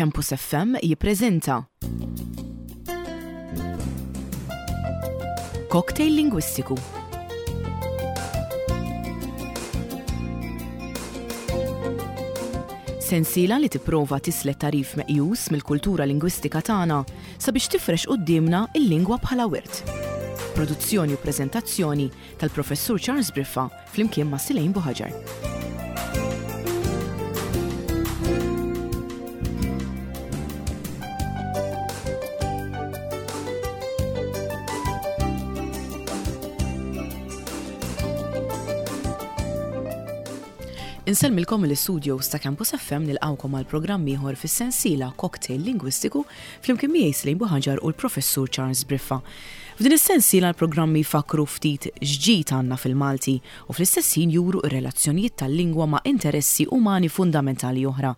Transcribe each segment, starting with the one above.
Campus FM jippreżenta Cocktail Lingwistiku. Sensiela li tipprova tislet tagħrif meqjus mill-kultura lingwistika tagħna sabiex tifrex quddiemna l-lingwa bħala wirt. Produzzjoni u preżentazzjoni tal-Professur Charles Briffa flimkien ma' Silejn Buħaġar. Insellmilkom mill-istudios ta' Campus FM nilqawkom għal programm ieħor fis-sensiela Cocktail Lingwistiku flimkien miegħi Slejn Buħaġar u l-Professur Charles Briffa. F'din is-sensiela l-programmi jfakkru ftit x'ġid għandna fil-Malti u fl-istess ħin juru r-relazzjonijiet tal-lingwa ma' interessi umani fundamentali oħra.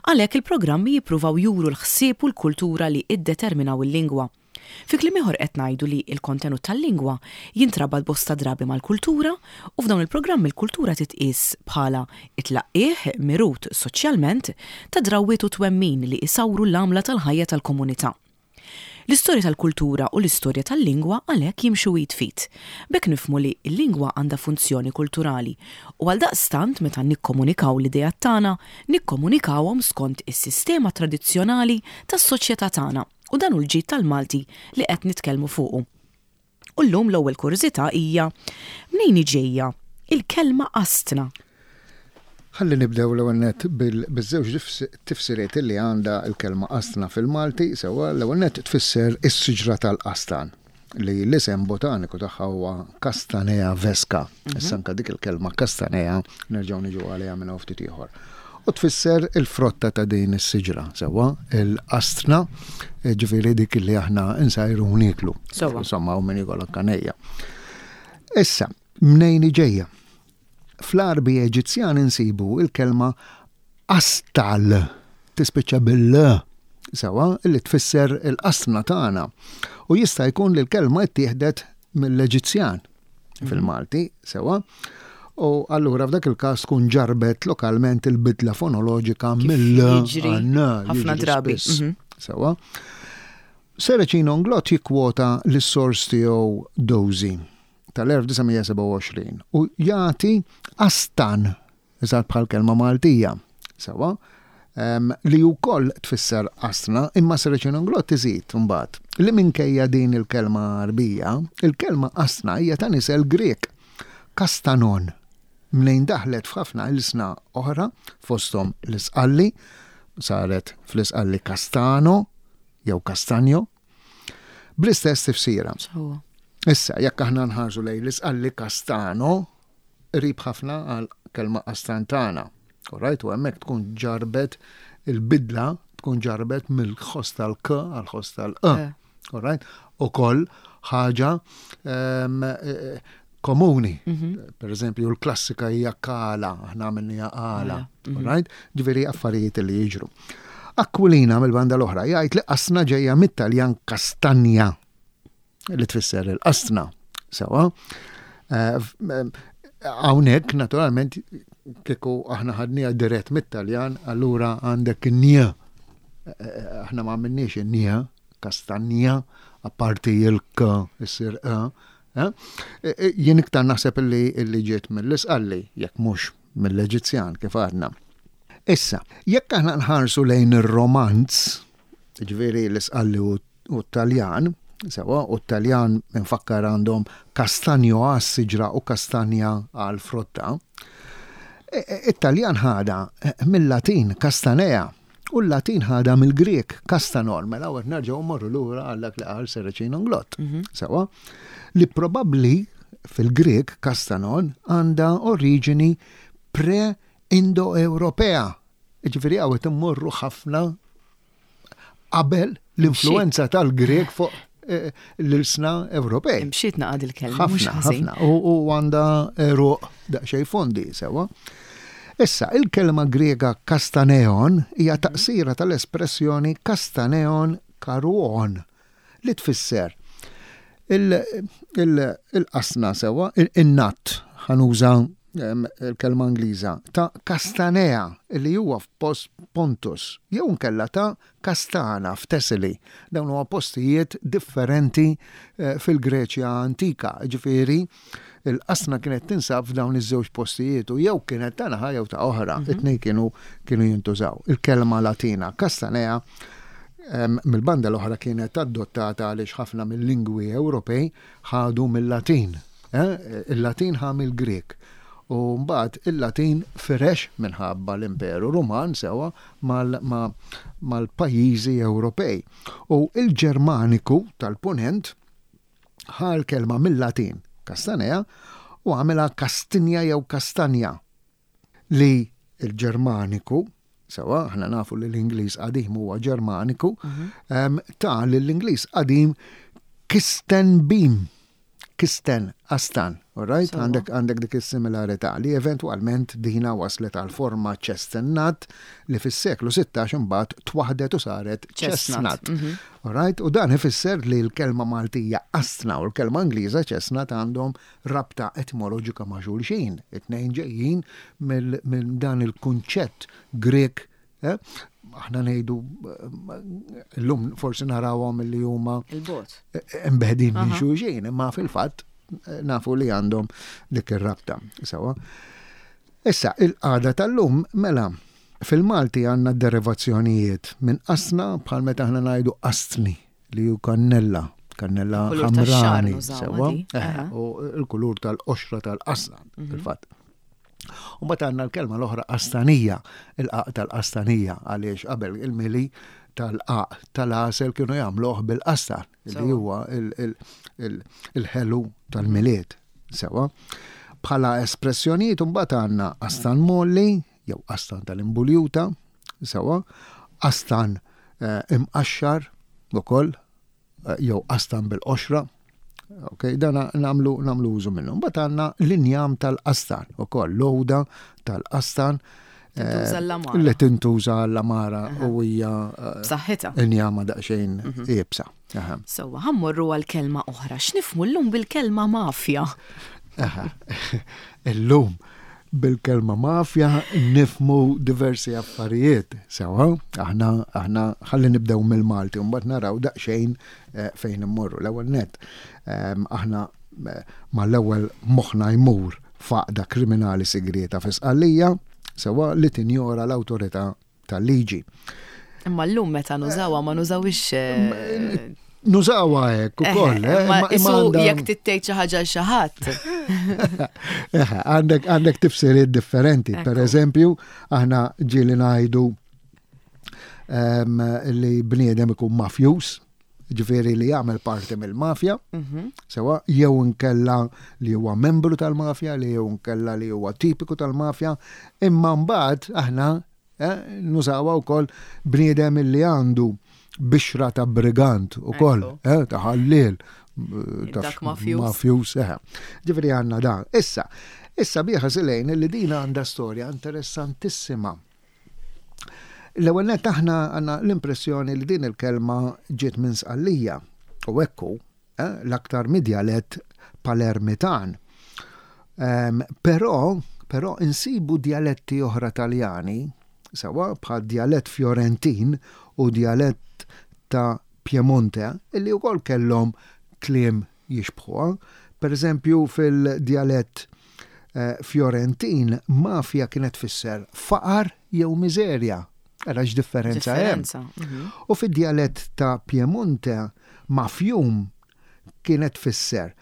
Għalhekk il-programmi jippruvaw juru l-ħsieb u l-kultura li iddeterminaw il-lingwa. Fi kliem ieħor qed ngħidu li l-kontenut tal-lingwa jintrabat bosta drabi mal-kultura u f'dawn il-programmi l-kultura titqies bħala t-tlaqqigħ mirut soċjalment ta' drawwiet u twemmin li isawru l-għamla tal-ħajja tal-komunità. L-istorja tal-kultura u l-istorja tal-lingwa għalhekk jimxu id f'id. B'hekk nifhmu li l-lingwa għandha funzjoni kulturali u għaldaqstant meta nikkomunikaw l-ideat tagħna, nikkomunikawhom skont is-sistema tradizzjonali tas-soċjetà tagħna u dan hu l-ġid tal-Malti li qed nitkellmu fuqu. U llum l-ewwel kurżità hija mnejn hi ġejja il-kelma qastna? Ħalli nibdew l-ewwel nett biż-żewġ tifsiriet li għandha l-kelma qastna fil-Malti, sewwa l-ewwel nett tfisser is-siġra tal-qastan li l-isem botaniku tagħha huwa Castanea vesca. Issa anke dik il-kelma Castanea nerġgħu niġu għaliha minn hawn ftit ieħor. U tfisser il-frotta ta' din is-siġra, sewwa, il-qastna, ġifieri dik li aħna nsajru u nieklu. Sewwa. Insomma, u min jiekol anke nejja. Issa, mnejn hi ġejja? Fl-Għarbi Eġizzjan insibu il-kelma astal, tispiċċa bil-l, sewwa, li tfisser il-qastna tagħna. U jista' jkun li l-kelma ttieħdet mill-Eġizzjan. fil-Malti, sewa. U allura f'dak il-każ tkun ġarbet lokalment il-bidla fonoloġika mill ħafna drabi. Mhm. Sewa. Seracino Nglott jikkwota lis-sors tiegħu Dozy tal-1927 u jagħti astan Eżatt bħal kelma Maltija. Sewwa? Li wkoll tfisser qasna, imma Serracino-Inglott iżid imbagħad li minkejja din il-kelma Għarbija, il-kelma qasna hija ta' nisel Grieg, kastanon, mnejn daħlet f'ħafna ilsna oħra, fosthom l-Isqalli, saret fl-Isqalli castano jew castanjo, bl-istess tifsira. Issa, jekk aħna nħarsu lejn l-Isqalli castano, qrib ħafna għal kelma astantana. Alright, u hemmhekk tkun ġarbet il-bidla tkun ġarbet mill-ħoss tal-k għal ħoss tal-e. Eh. Alright, u koll ħaġa ehm, eh, komuni. Mhm. Per eżempju, l-klassika hija kala, aħna għamilniha għala. Mhm. Alright, ġifieri affarijiet li jiġru. Aquilina mill-banda l-oħra jgħid li qasna ġejja mit-Taljan kastanja. li tfisser il-qastna. Sewa. Eh, eh, hawnhekk naturalment kieku aħna ħadniha dirett mit-Taljan, allura għandek in-nija. Eh, aħna ma għamilniex in-nija, kastanja, apparti il-k issir e. Jien iktar naħseb illi ġiet mill-isqalli, jekk mhux mill-Eġizzjan kif għadna. Issa, jekk aħna nħarsu lejn ir-romanz, ġifieri l-isqalli u u t-Taljan, sewa, u t-Taljan infakkar għandhom kastanjo għas-siġra u kastanja għall-frotta. E, e, it-Taljan ħada e, mill-Latin castanea u l-Latin ħada mill-Grieg castanor, mela għet nerġgħu mmorru lura għal dak li qal Serracino Nglott. Mhm. Sewa, li probabbli fil-Grieg castanon għandha oriġini pre-Indo-Ewropea. Ġifieri hawn immorru ħafna qabel l-influenza tal-Grek fuq eh, l-ilsna Ewropej. Imxiet naqad il-kelma. Ħafna, ħafna. U għanda ruq daqsxejn fondi sewa. Issa, il-kelma Griega kastaneon hija mhm. taqsira tal-espressjoni kastaneon karuon li tfisser il-qasna sewa, in-natt, ħanuża il-kelma Ingliża, ta' Castanea li huwa f'post Pontus, jew inkella ta' Kastana f'Thessaly. Dawn huma postijiet differenti fil-Greċja antika, jiġifieri l-qasna kienet tinsab f'dawn iż-żewġ postijiet u jew kienet ta' naħa jew ta' oħra, it-tnejn kienu kienu jintużaw. Il-kelma Latina Castanea mill-banda l-oħra kienet adottata għaliex ħafna mill-lingwi Ewropej ħadu mil-Latin. Il-Latin ħa mill-Grieg. U mbagħad il-Latin firex minħabba l-Imperu Ruman sewwa mal-pajjiżi Ewropej. U il-Ġermaniku tal-Punent ħa l-kelma mill-Latin castanea u għamilha kastinja jew kastanja li l-Ġermaniku, sewwa, aħna nafu li l-Ingliż qadim huwa Ġermaniku, ta lill-Ingliż qadim Kistenbim. Kisten, Astan, all right? Għandek għandek dik is-similarità li eventwalment dina waslet għal forma chestnut li fis-seklu 16 imbagħad twaħdet u saret chestnut. All right? U dan ifisser li l-kelma Maltija astna u l-kelma Ingliża chestnut għandhom rabta etimoloġika ma' xulxin. It-tnejn ġejjin minn dan il-kunċett Grek. Aħna ngħidu llum forsi narawhom li huma il-bot imbeħdin minn xulxin, imma fil-fatt nafu li għandhom dik ir-rabta. Sewa. Issa, il-qagħda tal-lum mela fil-Malti għandna derivazzjonijiet minn qasna bħal meta aħna ngħidu qastni li hu kannella, kannella ħamrani, sewa, u l-kulur tal-qoxra tal-qasna, fil-fatt. U mbagħad għandna l-kelma l-oħra qastanija, il-qaq tal-qastanija, għaliex qabel il-mili tal-qaq tal-għasel kienu jagħmluh bil-qastan, li huwa il-ħelu tal-milied. Sewa. Bħala espressjonijiet imbagħad għandna qastan molli, jew qastan tal-imbuljuta, sewa, qastan imqaxxar ukoll, jew qastan bil-qoxra. Ok, dan namlu namlu użu minnu. Mbagħad għandna l-injam tal-qastan ukoll, l-għoda tal-qastan. Li tintuża l-amara u hija b'saħħitha. Injama daqsxejn iebsa. Sewwa, ħa mmorru għal kelma oħra. X'nifhmu llum bil-kelma mafja? Illum bil-kelma mafja nifmu diversi affarijiet. Sewa, aħna aħna ħalli nibdew mill-Malti u mbagħad naraw daqsxejn eh, fejn immorru. L-ewwel net ehm, aħna eh, mal-ewwel moħħna jmur faqda kriminali sigrieta fi Sqallija, sewa li tinjora l-awtorità tal-liġi. Imma llum meta nużawha ma nużawix. Eh, nużawha hekk ukoll. Eh, imma isu jekk tittejt xi ħaġa l xi ħadd. Għandek għandek tifsiriet differenti. Per eżempju, aħna ġieli ngħidu ehm, li bniedem ikun mafjus, ġifieri li jagħmel parti mill-mafja, mhm. sewa jew inkella li huwa membru tal-mafja, li jew inkella li huwa tipiku tal-mafja, imma mbagħad aħna eh, nużawha wkoll bniedem li għandu bixra ta' brigant ukoll, eh, ta' ħalliel, eh, ta' mafjus, eh. Ġifieri għandna dan. Issa, issa biħa silejn li din għandha storja interessantissima. L-ewwel nett aħna għandna l-impressjoni li din il-kelma ġiet minn Sqallija u hekk hu, eh, l-aktar mid-djalett Palermitan. Ehm, però, però insibu djaletti oħra Taljani, sewa bħal djalett Fjorentin u djalett ta' Piemonte, illi wkoll kellhom kliem jixbħuha. Per eżempju fil-djalett Fjorentin, mafja kienet tfisser faqar jew miżerja. Ara x'differenza hemm. Mhm. U fid-djalett ta' Piemonte, mafjum kienet tfisser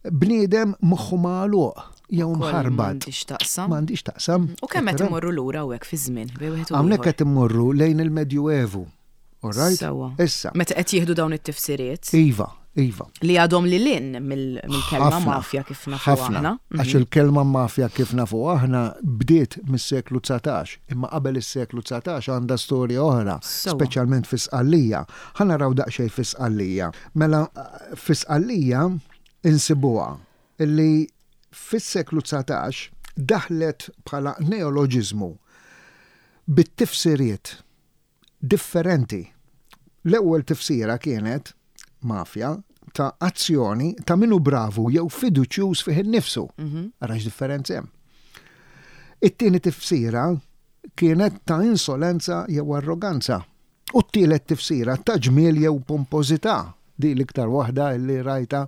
bniedem moħħu magħluq jew mħarbat. M'għandix taqsam. M'għandix taqsam. U kemm qed immorru lura hawnhekk fi żmien bejn wieħed u Hawnhekk qed immorru lejn il-Medjuevu. All right? Sewa. Issa. Meta qed jieħdu dawn it-tifsiriet. Iva, iva. Li għadhom li lin mill-kelma mafja kif nafu aħna. Għax mhm. il-kelma mafja kif nafu aħna bdiet mis-seklu 19, imma qabel is-seklu 19 għandha storja oħra, speċjalment fi Sqallija. Ħa naraw daqsxejn fi Sqallija. Mela fi Sqallija insibuha illi fis-seklu 19 daħlet bħala neoloġiżmu bit-tifsiriet differenti. L-ewwel tifsira kienet, mafja, ta' azzjoni ta' min hu bravu jew fiduċjuż fih innifsu. Mhm. Ara x'differenza hemm. It-tieni tifsira kienet ta' insolenza jew arroganza. U t-tielet tifsira ta' ġmiel jew pompożità. Di l-iktar waħda li rajta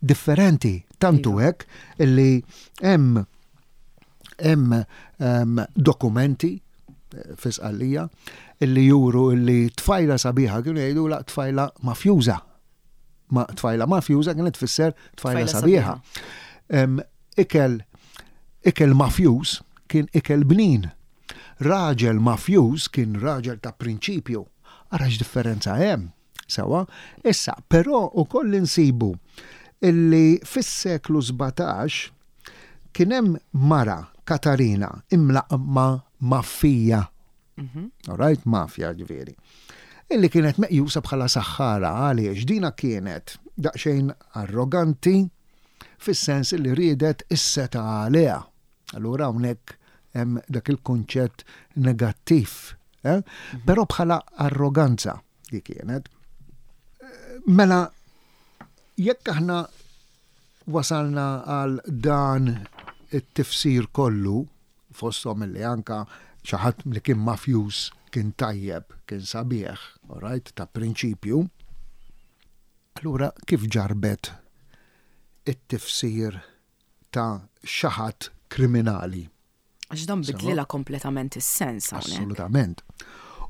differenti. Tantu iva. hekk li hemm hemm dokumenti eh, fi Sqallija illi juru illi tfajla sabiħa kienu jgħidu la tfajla mafjuża. Ma tfajla mafjuża kienet tfisser tfajla sabiħa. Ikel ikel mafjuż kien ikel bnin. Raġel mafjuż kien raġel ta' prinċipju. Ara x'differenza hemm. Sewa, issa, però ukoll insibu illi fis-seklu 17 kien hemm mara Katarina imlaqqma Maffija. Mhm. All right, mafja ġifieri. Illi kienet meqjusa bħala saħħara għaliex dina kienet daqsxejn arroganti fis-sens li riedet is-setgħa għaliha. Allura hawnhekk hemm dak il-kunċett negattiv. Eh? Mhm. Però bħala arroganza li kienet. Mela, jekk aħna wasalna għal dan it-tifsir kollu, fosthom li anka xi ħadd li kien mafjuż kien tajjeb, kien sabiħ, all right, ta' prinċipju. Allura kif ġarbet it-tifsir ta' xi ħadd kriminali? Għax dan bidlilha kompletament is-sens hawnhekk. Assolutament.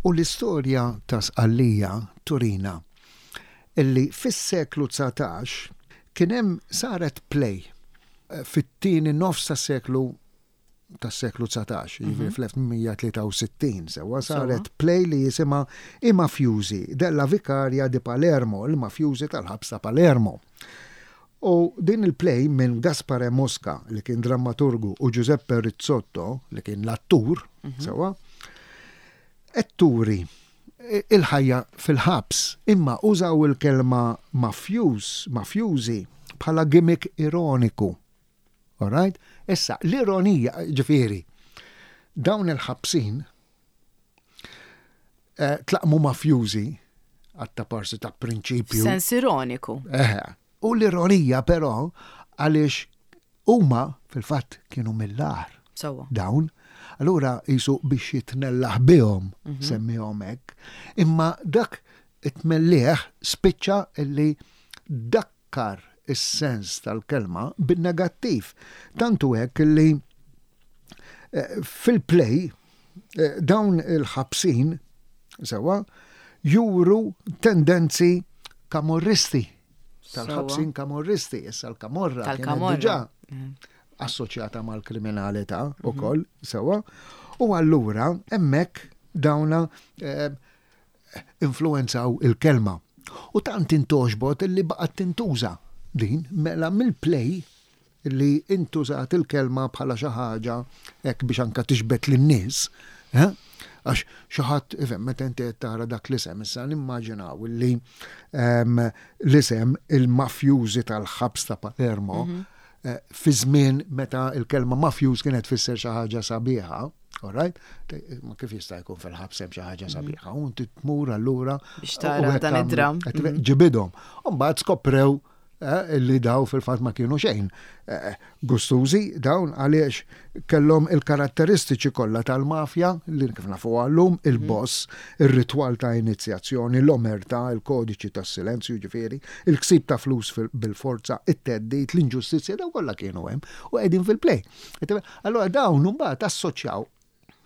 U l-istorja ta' Sqallija turina illi fis-seklu 19 kien hemm saret play eh, fit-tieni nofs tas-seklu tas-seklu 19, jiġifieri mhm. fl-1863 sewwa saret play li jisimha I Mafjużi della Vicaria di Palermo, il-mafjużi tal-ħabs ta' Palermo. U din il-play minn Gaspare Mosca, li kien drammaturgu, u Giuseppe Rizzotto, li kien l-attur, mhm. sewwa, qed turi il-ħajja fil-ħabs, imma użaw il-kelma mafjuż, mafjużi, bħala gimmick ironiku. Alright? Issa, l-ironija, ġifieri, dawn il-ħabsin eh, tlaqmu mafjużi għatta parsi ta' prinċipju. Sens ironiku. Eh, u l-ironija però għaliex huma fil-fatt kienu mill-ar. Dawn. Allura jisu biex jitnellaħ bihom, mm -hmm. semmihom hekk. Imma dak it-tmellieħ spiċċa illi dakkar is-sens tal-kelma bin-negattiv. Tant hu hekk li eh, fil-play eh, dawn il-ħabsin sewwa juru tendenzi kamorristi tal-ħabsin kamorristi, issa l-kamorra tal-kamorra diġà mm. assoċjata mal-kriminalità mhm. ukoll sewwa. U allura hemmhekk dawna eh, influwenzaw il-kelma. U tant intgħoxbot li baqgħet tintuża din, mela mill-play li intużat il-kelma bħala xi ħaġa hekk biex anka tiġbed lin-nies, eh? Għax xi ħadd, ifhem, meta inti qed tara dak l-isem, issa nimmaġinaw li ehm, l-isem il-mafjużi tal-ħabs ta' Palermo mhm. eh, fi żmien meta l-kelma mafjuż kienet tfisser xi ħaġa sabiħa, All right? Ma kif jista' jkun fil-ħabs hemm xi ħaġa mhm. sabiħa, u inti tmur allura biex tara dan id-dram. Mhm. Ġibidhom. U mbagħad skoprew eh, li daw fil-fatt ma kienu xejn eh, gustużi dawn għaliex kellhom il-karatteristiċi kollha tal-mafja li kif nafu għallum mhm. il-boss, ir-ritwal ta' inizjazzjoni, l-omerta, il-kodiċi tas-silenzju ġifieri, il-ksib ta' flus bil-forza, it-teddid, l-inġustizzja daw kollha kienu hemm u qegħdin fil-play. Allura dawn imbagħad assoċjaw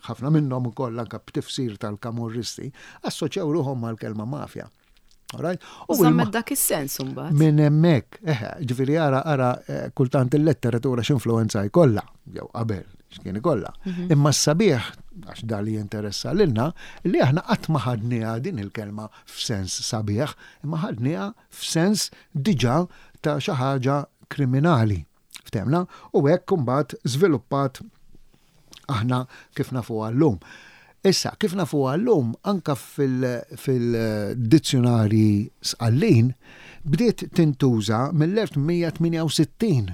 ħafna minnhom ukoll anke b'tifsir tal-kamorristi, assoċjaw ruħhom mal-kelma mafja. Alright? U żammet dak is-sens imbagħad. Minn hemmhekk, eħe, ġifieri ara ara eh, kultant il-letteratura x'influwenza jkollha, jew qabel x'kien ikollha. Mhm. Imma s-sabiħ, għax da li jinteressa lilna, li aħna qatt ma ħadniha din il-kelma f'sens sabiħ, imma ħadniha f'sens diġà ta' xi ħaġa kriminali. Ftehmna? U hekk imbagħad żviluppat aħna kif nafuha llum. Issa, kif nafuha llum, anka fil-dizzjunarji Sqallin bdiet tintuża mill-1868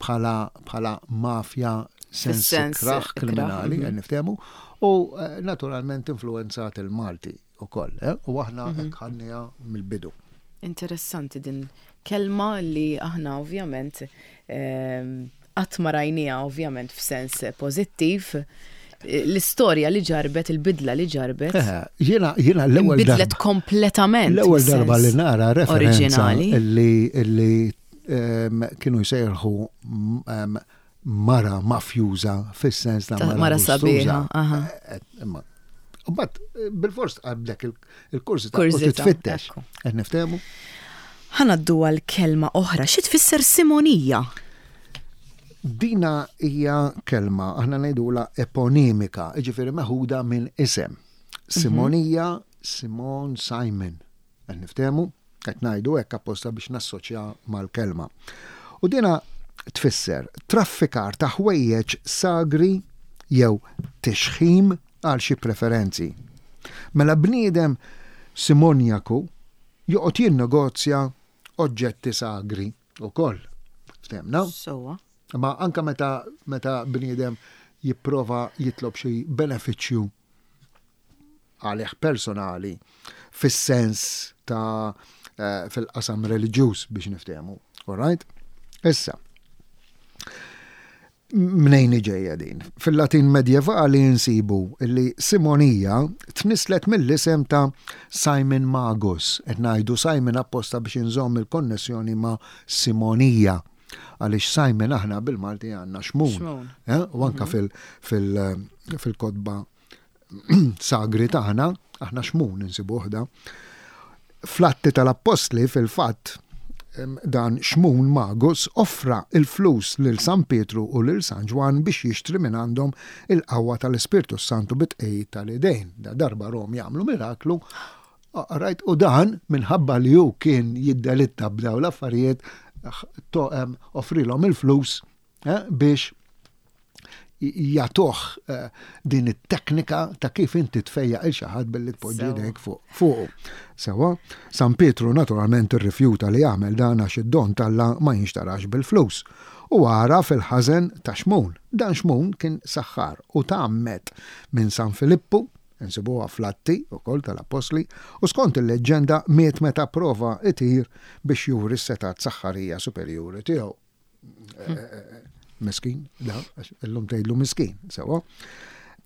bħala bħala mafja sens ikrah kriminali, mhm. niftehmu, u eh, naturalment influenzat il-Malti ukoll, eh? u aħna mhm. hekk ħadniha mill-bidu. Interessanti din kelma li aħna ovvjament ehm, qatt ma rajniha ovvjament f'sens pożittiv, l-istorja li ġarbet, il-bidla li ġarbet. Eh, jiena jiena l-ewwel Bidlet kompletament. L-ewwel darba li nara referenza li li ehm, kienu jsejħu ehm, mara mafjuża fis-sens ta' mara sabiħa. Eh, eh, u bat, bil-fors tqablek il-kurżità u titfittex. Qed niftehmu? Ħa ngħaddu għal kelma oħra. Xi tfisser simonija? Dina hija kelma, aħna ngħidulha eponimika, jiġifieri meħuda minn isem. Simonija, Simon, Simon. Qed niftehmu? Qed ngħidu hekk apposta biex nassoċja mal-kelma. U dina tfisser traffikar ta' ħwejjeġ sagri jew tixħim għal xi preferenzi. Mela bniedem simonjaku joqgħod jinnegozja oġġetti sagri wkoll. Ftehmna? Sewwa. Imma anke meta meta bniedem jipprova jitlob xi benefiċċju għalih personali fis-sens ta' eh, fil-qasam reliġjuż biex niftehmu. All right? Issa, Mnejn ġejja din? Fil-Latin medjevali nsibu li Simonija tnisslet mill-isem ta' Simon Magus. Qed ngħidu Simon apposta biex inżomm il-konnessjoni ma' Simonija. Għaliex Simon aħna bil-Malti għandna xmun. Eh? U anka mhm. fil-kotba sagri tagħna, aħna xmun insibuh da. Fl-Atti tal-Appostli fil-fatt dan Xmun Magus offra il-flus lil San Pietru u lil San Ġwann biex jixtri minn għandhom il-qawwa tal-Ispirtu s-Santu bit-tqegħid tal-idejn. Da darba rom jagħmlu miraklu, rajt u dan minħabba li hu kien jiddelitta b'daw l-affarijiet offrilhom il-flus eh, biex jagħtuh eh, din it-teknika ta' kif inti tfejjaq il xi ħadd billi tpoġġi idejk fuqu. Sewa, San Pietru naturalment irrifjuta li jagħmel dan għax id-don t'Alla ma jinxtarax bil-flus. U għara fil-ħażen ta' Xmun. Dan Xmun kien saħħar u tgħammed minn San Filippu, insibuha fl-Atti wkoll tal-Appostli, u skont il-leġġenda miet meta prova itir biex juri s-setgħat saħħarija superjuri tiegħu. Miskin, da, illum tgħidlu miskin, sewa.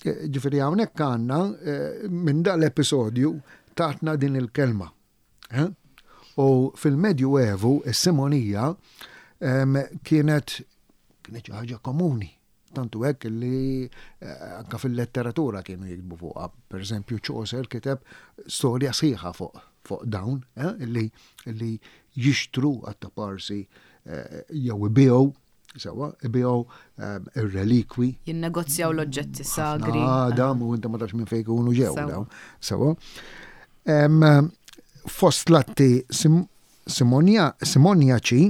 Ġifieri hawnhekk għandna eh, minn dan l-episodju tatna din il-kelma. Eh? U fil-Medju Evu, is-simonija kienet kienet ħaġa komuni. Tantu hekk li eh, anka fil-letteratura kienu jiktbu fuqha. Per eżempju, Chaucer kiteb storja sħiħa fuq fuq dawn, eh, li, li jixtru għat-taparsi eh, jew ibiegħu sewa, ibiegħu ir-relikwi. Jinnegozjaw l-oġġetti sagri. Għadam u inta ma tafx minn fejn ikunu ġew dawn. Sewa. Fost l-atti Simonjaċi,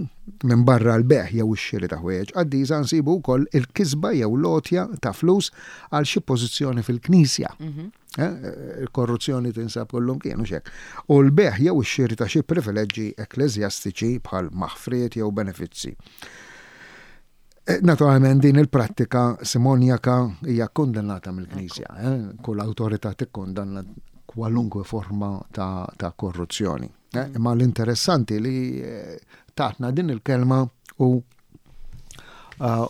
minbarra l-bejgħ jew ix-xiri ta' ħwejjeġ qaddisa nsibu wkoll il-kisba jew l-għotja ta' flus għal xi pożizzjoni fil-Knisja. Il-korruzzjoni tinsab kullumkien, hux hekk? U l-bejgħ jew ix-xiri ta' xi privileġġi ekkleżjastiċi bħal maħfriet jew benefizzi. Naturalment din il-prattika simonjaka hija kkundannata mill-Knisja. Kull awtorità tikkundanna kwalunkwe forma ta' korruzzjoni. Imma l-interessanti li tatna din il-kelma u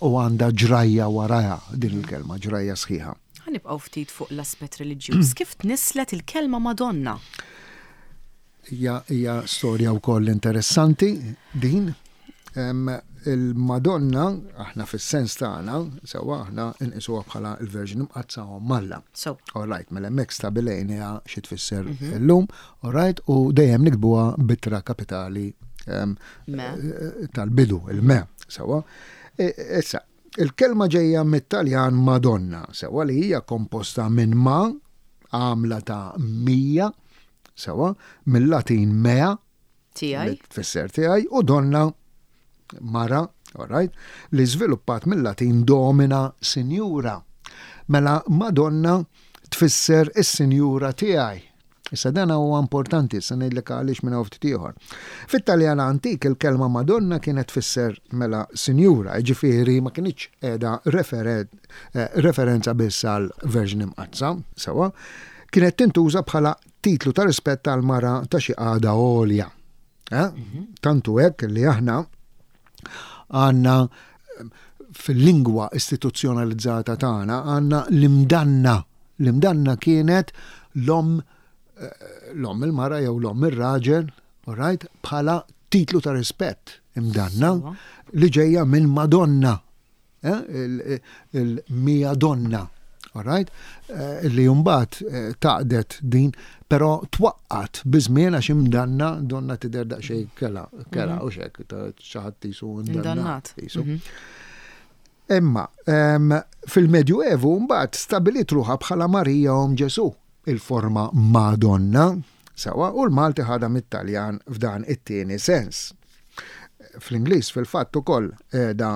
u għandha ġrajja warajha din il-kelma, ġrajja sħiħa. Ħa nibqgħu ftit fuq l-aspett reliġjuż. Kif tnisslet il-kelma Madonna? Hija hija storja wkoll interessanti din. Il-Madonna, aħna fis-sens tagħna, sewwa aħna nqisuha bħala l-Verġni Mqaddsa Omm Alla. So. All right, mela hemmhekk stabilejniha xi tfisser mhm. illum, all right, u dejjem nikbuha bitra kapitali eh, tal-bidu, il-me, sewwa. E, issa, il-kelma ġejja mit-Taljan Madonna, sewwa li hija komposta minn ma, għamla ta' mija, Sewwa, mill-Latin mea, tiegħi, tfisser tiegħi, u donna, mara, all right, li żviluppat mill-Latin domina, sinjura. Mela Madonna tfisser is-sinjura tiegħi. Issa dan huwa importanti, se ngħidlek għaliex minn hawn ftit ieħor. Fit-Taljan antik il-kelma Madonna kienet tfisser mela sinjura, jiġifieri ma kinitx qiegħda eh, referenza biss għal Verġni Mqaddsa, sewwa. Kienet tintuża bħala titlu ta' rispett għal mara ta' xi qagħda għolja. Eh? Mhm. Tantu hekk li aħna għandna eh, fil-lingwa istituzzjonalizzata tagħna għandna l-imdanna. L-imdanna kienet l-omm l-omm il-mara jew l-omm ir-raġel, all right, bħala titlu ta' rispett imdanna li ġejja minn Madonna. Eh, il-mija donna, all right, eh, li mbagħad eh, taqdet din, però twaqqat biżmien għax imdanna donna tidher daqsxejn kela, kela u xek, xi ħadd jisu indannat. Mhm. Imma fil-Medju Evu mbagħad stabilit ruħha bħala Marija Omm Ġesu, il-forma Madonna, sewa, u l-Malti ħadha mit-Taljan f'dan it-tieni sens. Fl-Ingliż fil-fatt ukoll qiegħda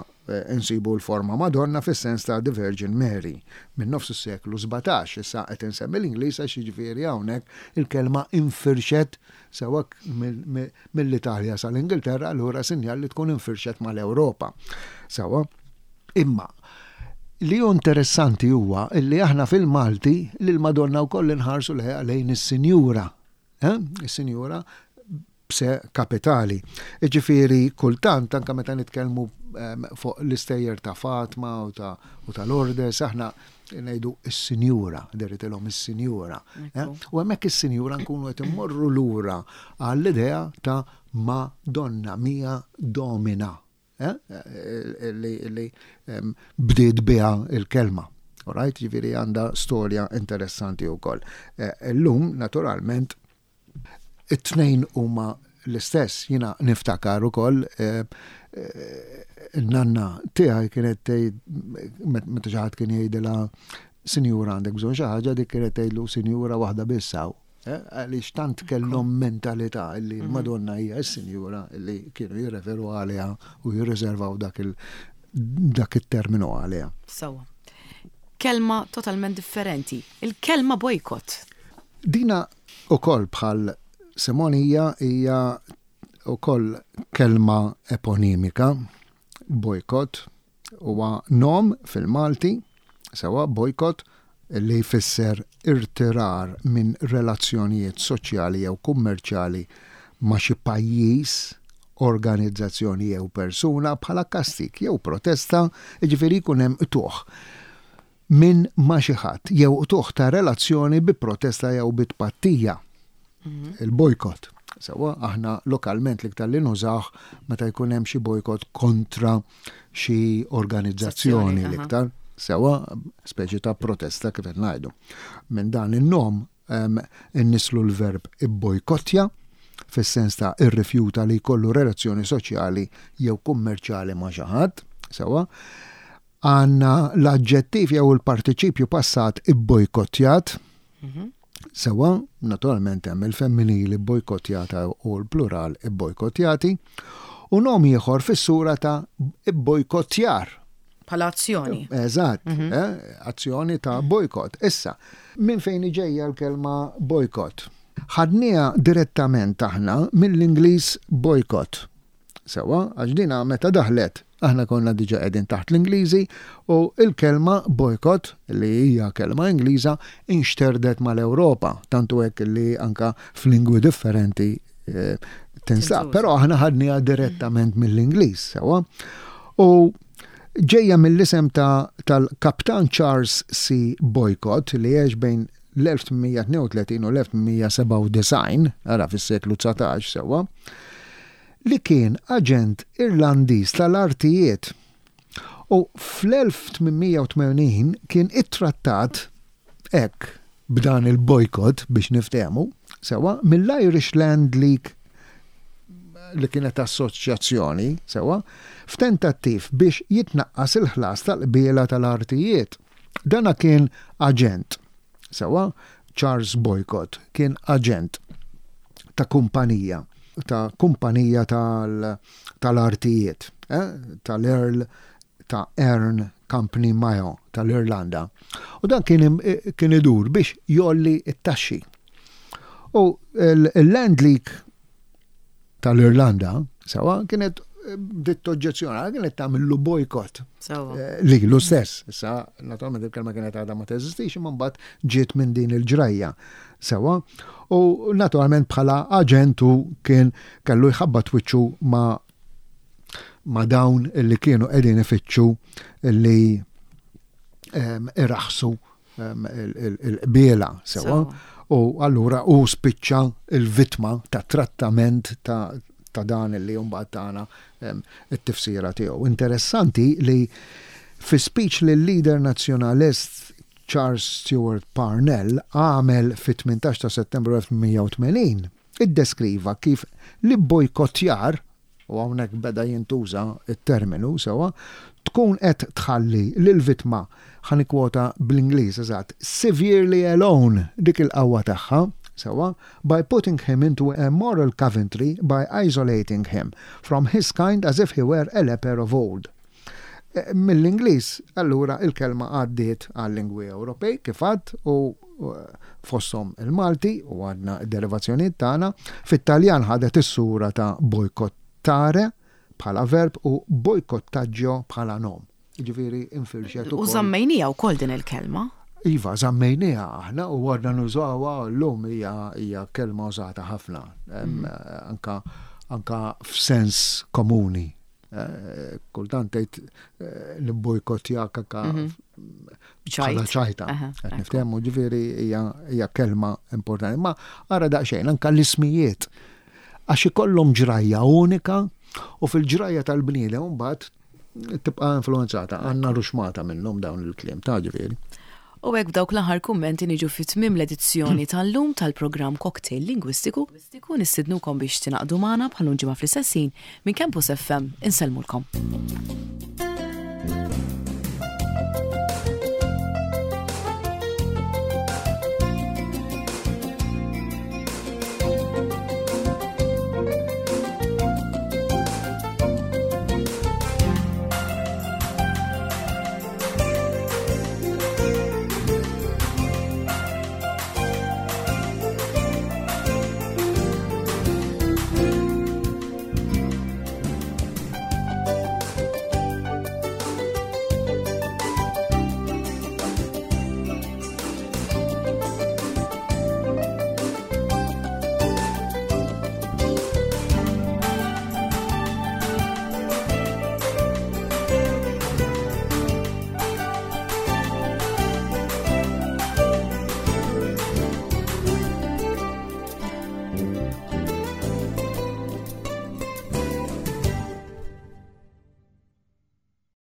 insibu l-forma Madonna fis-sens ta' the Virgin Mary minn nofs is-seklu 17. Issa qed insemmi l-Ingliż għax jiġifieri hawnhekk il-kelma infirxet sewwa mill-Italja sal-Ingilterra allura sinjal li tkun infirxet mal-Ewropa. Sewwa. Imma li hu interessanti huwa li aħna fil-Malti lill-Madonna wkoll inħarsu lejn is-Sinjura. Eh? Is-Sinjura b'se kapitali. Jiġifieri kultant anke meta nitkellmu ehm, fuq l-istejjer ta' Fatma u ta' u ta' Lourdes aħna ngħidu is-sinjura, deritilhom is-sinjura. Eh? U hemmhekk is-sinjura nkunu qed immorru lura għall-idea ta' Madonna, mia domina. Eh, li bdiet biha il-kelma. Alright, ġifieri għandha storja interessanti wkoll. Eh, illum, naturalment, it-tnejn huma l-istess, jiena niftakar ukoll eh, il-nanna tiegħi kienet tgħid meta xi ħadd kien jgħidilha sinjura għandek bżonn xi ħaġa dik kienet tgħidlu sinjura waħda biss hawn. Eh, għaliex tant kellhom mentalità li mhm. l-Madonna hija s-sinjura li kienu jirreferu għaliha u jirriservaw dak il dak it-terminu għaliha. Sawa. Kelma totalment differenti. Il-kelma bojkot. Dina ukoll bħal semonija hija ukoll kelma eponimika, bojkot, Huwa nom fil-Malti, sewwa, boycott, li jfisser irtirar minn relazzjonijiet soċjali jew kummerċjali ma' xi pajjiż, organizzazzjoni jew persuna bħala kastig jew protesta, jiġifieri jkun hemm qtugħ minn ma' xi ħadd jew qtugħ ta' relazzjoni bi protesta jew bi tpattija. Mhm. Il-bojkott. Sewwa, aħna lokalment l-iktar li nużawh meta jkun hemm xi bojkott kontra xi organizzazzjoni l-iktar. Sewwa, speċi ta' protesta kif qed ngħidu. Minn dan in-nom innislu l-verb ibbojkottja fis-sens ta' irrifjuta li jkollu relazzjoni soċjali jew kummerċjali ma' xi ħadd, sewwa. Għandna l-aġġettiv jew il-partiċipju passat ibbojkottjat. Mhm. Sewwa, naturalment hemm il-femminili bbojkottjata u l-plural ibbojkottjati, u nom ieħor fis-sura ta' ibbojkottjar. Bħala azzjoni. Eżatt, mhm. eh, azzjoni ta' bojkott. Issa, minn fejn ġejja l-kelma bojkott? Ħadniha direttament aħna mill-Ingliż boycott. Sewwa, għax dina meta daħlet, aħna konna diġà qegħdin taħt l-Ingliżi u l-kelma boycott, li hija kelma Ingliża, inxterdet mal-Ewropa, tant hu hekk li anke f'lingwi differenti eh, tinsab. Però aħna ħadniha direttament mill-Ingliż, sewwa. U ġejja mill-isem ta' tal-Kaptan Charles C. Boycott li għex bejn l-1832 u l-1897, ara fis-seklu 19 sewwa, li kien aġent Irlandiż tal-artijiet u fl-1880 kien ittrattat hekk b'dan il-bojkott biex niftehmu sewwa mill-Irish Land League li kienet assoċjazzjoni sewwa f'tentattiv biex jitnaqqas il-ħlas tal-qbiela tal-artijiet. Dana kien aġent Sewwa, Charles Boycott kien aġent ta' kumpanija, ta' kumpanija tal-artijiet, eh, tal-Earl ta' Erne Company Mayo tal-Irlanda. U dan kien, kien idur biex jolli t-taxxi. U l-Land League tal-Irlanda, sewa, kienet eh, bdiet toġġezzjona, kienet tagħmillu bojkott. Eh, lilu stess. Issa, naturalment il-kelma kienet għadha ma teżistix, imma mbagħad ġiet minn din il-ġrajja. Sewa, u naturalment bħala aġentu kien kellu jħabbat wiċċu ma' ma' dawn li kienu qegħdin ifittxu li iraħħsu il-qbiela sewwa. U allura hu spiċċa l-vittma ta' trattament ta' dan li mbagħad tana t-tifsira tiegħu. Interessanti li fi speech li l-leader nazzjonalist Charles Stewart Parnell għamel fit-18 ta' Settembru 1880, iddeskriva kif l-ibbojkottjar, u hawnhekk beda jintuża t-terminu sewwa, tkun qed tħalli lill-vittma, ħa nikkwota bl-Ingliż eżatt, severely alone dik il-qawwa tagħha, sewwa, by putting him into a moral coventry by isolating him from his kind as if he were a leper of old. Mill-Ingliż, allura, il-kelma għaddiet għal-lingwi Ewropej, kif għadt, u fosthom il-Malti, u għadna d-derivazzjonijiet tagħna. Fit-Taljan ħadet is-sura ta' boycottare bħala verb u boycottaggio bħala nom. Jiġifieri infirxet ukoll. U żammejniha wkoll din il-kelma. Iva, żammejniha aħna u għadna nużawha llum hija kelma użata ħafna, anka anka f'sens komuni. Eh, kultant tgħid eh, nibbojkottjak anka mhm. bħala ċajta. Qed niftehmu ġifieri hija kelma importanti. Ma ara daqsxejn anka l-ismijiet għax ikollhom ġrajja unika u fil-ġrajja tal-bniedem mbagħad tibqa' influenzata, għandna ruxmata minnhom dawn il-kliem ta' ġifieri. U hekk b'dawk l-aħħar kummenti niġu fi tmiem l-edizzjoni tal-lum tal-programm Cocktail Lingwistiku. Nistidnukom biex tingħaqdu magħna bħal ġimgħa fl-istess ħin minn Campus FM insellmulkom.